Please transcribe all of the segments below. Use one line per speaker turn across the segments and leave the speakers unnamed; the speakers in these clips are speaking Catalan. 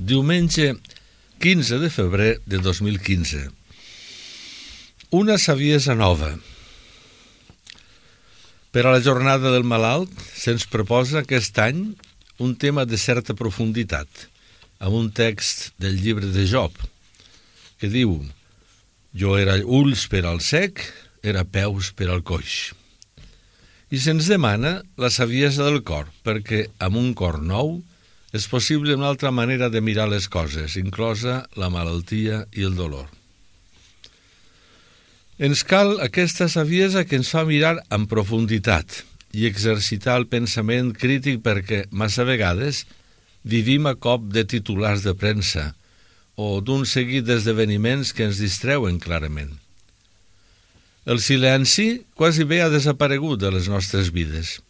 Diumenge 15 de febrer de 2015. Una saviesa nova. Per a la jornada del malalt se'ns proposa aquest any un tema de certa profunditat, amb un text del llibre de Job, que diu: «Jo era ulls per al cec, era peus per al coix». I se'ns demana la saviesa del cor, perquè amb un cor nou és possible una altra manera de mirar les coses, inclosa la malaltia i el dolor. Ens cal aquesta saviesa que ens fa mirar amb profunditat i exercitar el pensament crític, perquè massa vegades vivim a cop de titulars de premsa o d'un seguit d'esdeveniments que ens distreuen clarament. El silenci quasi bé ha desaparegut de les nostres vides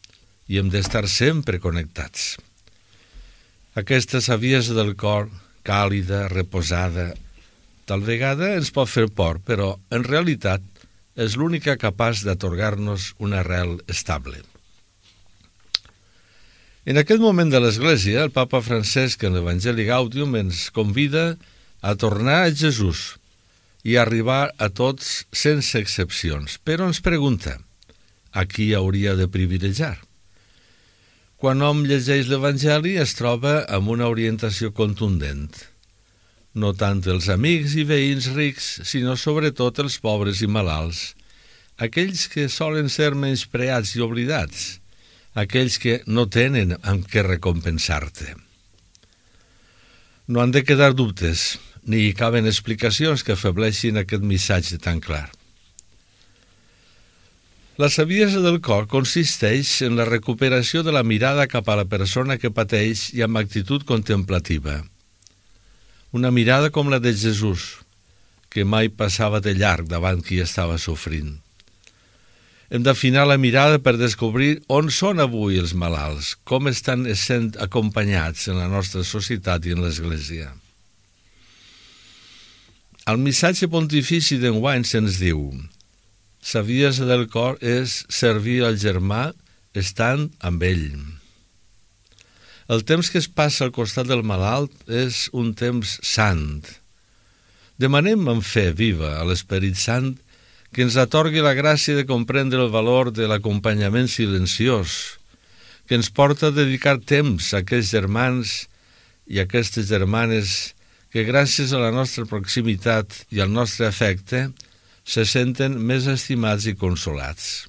i hem d'estar sempre connectats. Aquesta saviesa del cor, càlida, reposada, tal vegada ens pot fer por, però en realitat és l'única capaç d'atorgar-nos una arrel estable. En aquest moment de l'Església, el papa Francesc en l'Evangeli Gaudium ens convida a tornar a Jesús i a arribar a tots sense excepcions, però ens pregunta: a qui hauria de privilegiar? Quan hom llegeix l'Evangeli es troba amb una orientació contundent. No tant els amics i veïns rics, sinó sobretot els pobres i malalts, aquells que solen ser menyspreats i oblidats, aquells que no tenen amb què recompensar-te. No han de quedar dubtes, ni hi caben explicacions que afebleixin aquest missatge tan clar. La saviesa del cor consisteix en la recuperació de la mirada cap a la persona que pateix i amb actitud contemplativa. Una mirada com la de Jesús, que mai passava de llarg davant qui estava sofrint. Hem d'afinar la mirada per descobrir on són avui els malalts, com estan sent acompanyats en la nostra societat i en l'Església. Al missatge pontifici d'enguany se'ns diu: saviesa del cor és servir al germà estant amb ell. El temps que es passa al costat del malalt és un temps sant. Demanem amb fe viva a l'Esperit Sant que ens atorgui la gràcia de comprendre el valor de l'acompanyament silenciós, que ens porta a dedicar temps a aquests germans i a aquestes germanes que gràcies a la nostra proximitat i al nostre afecte se senten més estimats i consolats.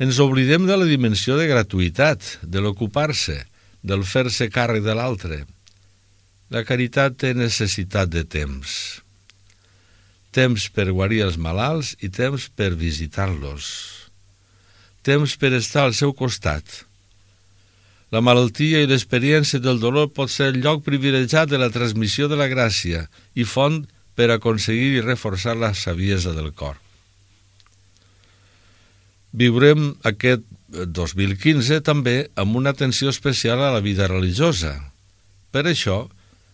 Ens oblidem de la dimensió de gratuïtat, de l'ocupar-se, del fer-se càrrec de l'altre. La caritat té necessitat de temps. Temps per guarir els malalts i temps per visitar-los. Temps per estar al seu costat. La malaltia i l'experiència del dolor pot ser el lloc privilegiat de la transmissió de la gràcia i font per aconseguir i reforçar la saviesa del cor. Viurem aquest 2015 també amb una atenció especial a la vida religiosa. Per això,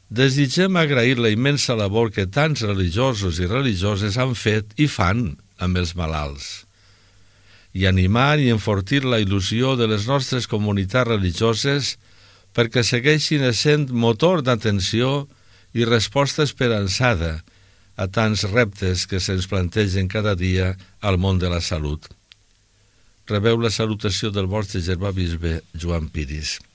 desitgem agrair la immensa labor que tants religiosos i religioses han fet i fan amb els malalts, i animar i enfortir la il·lusió de les nostres comunitats religioses perquè segueixin essent motor d'atenció i resposta esperançada a tants reptes que se'ns plantegen cada dia al món de la salut. Rebeu la salutació del vostre germà bisbe Joan Piris.